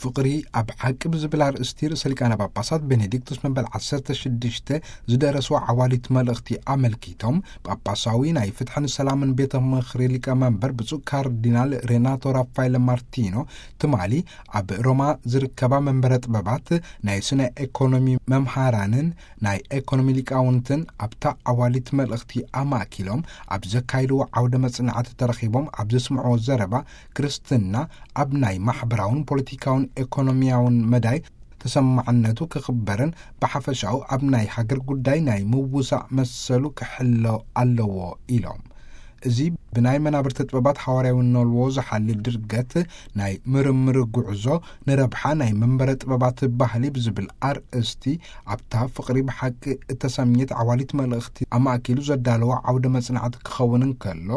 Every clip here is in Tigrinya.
ፍቕሪ ኣብ ሓቂ ብዝብል ኣርእስቲ ርእሰ ሊቃነ ጳጳሳት ቤኔዲክቱስ መበል ዓሰርተ ሽዱሽተ ዝደረስዎ ዓዋሊት መልእኽቲ ኣመልኪቶም፣ ጳጳሳዊ ናይ ፍትሕን ሰላምን ቤተ ምኽሪ ሊቀመንበር ብፁዕ ካርዲናል ሬናቶ ራፋኤለ ማርቲኖ፣ ትማሊ ኣብ ሮማ ዝርከባ መንበረ ጥበባት ናይ ስነ ኤኮኖሚ መምሃራንን ናይ ኤኮኖሚ ሊቃውንትን ኣብታ ዓዋሊት መልእኽቲ ኣማእኪሎም ኣብ ዘካይድዎ ዓውደ መጽናዕቲ ተረኺቦም ኣብ ዘስምዕዎ ዘረባ፣ ክርስትና ኣብ ናይ ማሕበራውን ፖለቲካውን ኤኮኖሚያውን መዳይ ተሰማዕነቱ ክኽበርን ብሓፈሻኡ ኣብ ናይ ሃገር ጉዳይ ናይ ምውሳእ መሰሉ ክሕሎ ኣለዎ ኢሎም። እዚ ብናይ መናብርቲ ጥበባት ሓዋርያዊ ነልዎ ዝሓሊ ድርገት ናይ ምርምር ጉዕዞ ንረብሓ ናይ መንበረ ጥበባት ባህሊ ብዝብል ኣርእስቲ ኣብታ ፍቕሪ ብሓቂ እተሰምየት ዓዋሊት መልእኽቲ ኣማእኪሉ ዘዳለዎ ዓውደ መጽናዕቲ ክኸውን እንከሎ፣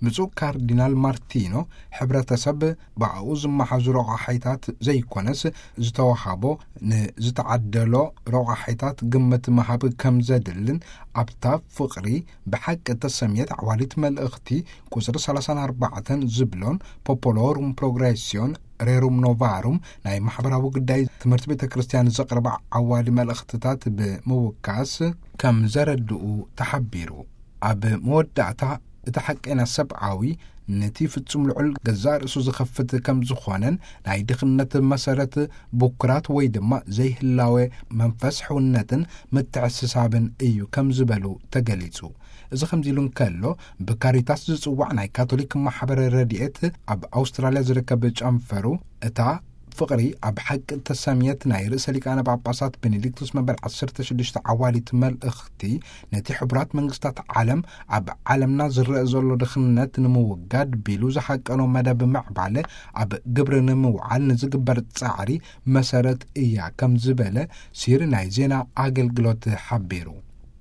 ብፁዕ ካርዲናል ማርቲኖ፣ ሕብረተሰብ ብኣኡ ዝመሓዙ ረቋሒታት ዘይኮነስ፣ ዝተዋሃቦ ንዝተዓደሎ ረቋሒታት ግምት ምሃብ ከም ዘድልን፣ ኣብታ ፍቕሪ ብሓቂ እተሰምየት ዓዋሊት መልእኽቲ ቁጽሪ ሰላሳን ኣርባዕተን ዝብሎን ፖፖሎሩም ፕሮግሬስዮን ሬሩም ኖቫሩም ናይ ማሕበራዊ ጉዳይ ትምህርቲ ቤተ ክርስቲያን ዘቕርባ ዓዋሊ መልእኽትታት ብምውካስ ከም ዘረድኡ ተሓቢሩ። ኣብ መወዳእታ እቲ ሓቀና ሰብኣዊ ነቲ ፍጹም ልዑል ገዛእ ርእሱ ዝኸፍት ከም ዝኾነን ናይ ድኽነት መሰረት ብኩራት ወይ ድማ ዘይህላወ መንፈስ ሕውነትን ምትዕስሳብን እዩ ከም ዝበሉ ተገሊጹ። እዚ ከምዚ ኢሉ እንከሎ፣ ብካሪታስ ዝጽዋዕ ናይ ካቶሊክ ማሕበረ ረድኤት ኣብ ኣውስትራልያ ዝርከብ ጨንፈሩ፣ እታ ፍቕሪ ኣብ ሓቂ እተሰምየት ናይ ርእሰ ሊቃነ ጳጳሳት ቤኔዲክቱስ መበል ዓሰርተ ሽዱሽተ ዓዋሊት መልእኽቲ፣ ነቲ ሕቡራት መንግስታት ዓለም ኣብ ዓለምና ዝረአ ዘሎ ድኽነት ንምውጋድ ቢሉ ዝሓቀኖ መደብ ምዕባለ ኣብ ግብሪ ንምውዓል ንዝግበር ጻዕሪ መሰረት እያ ከም ዝበለ ሲር ናይ ዜና ኣገልግሎት ሓቢሩ።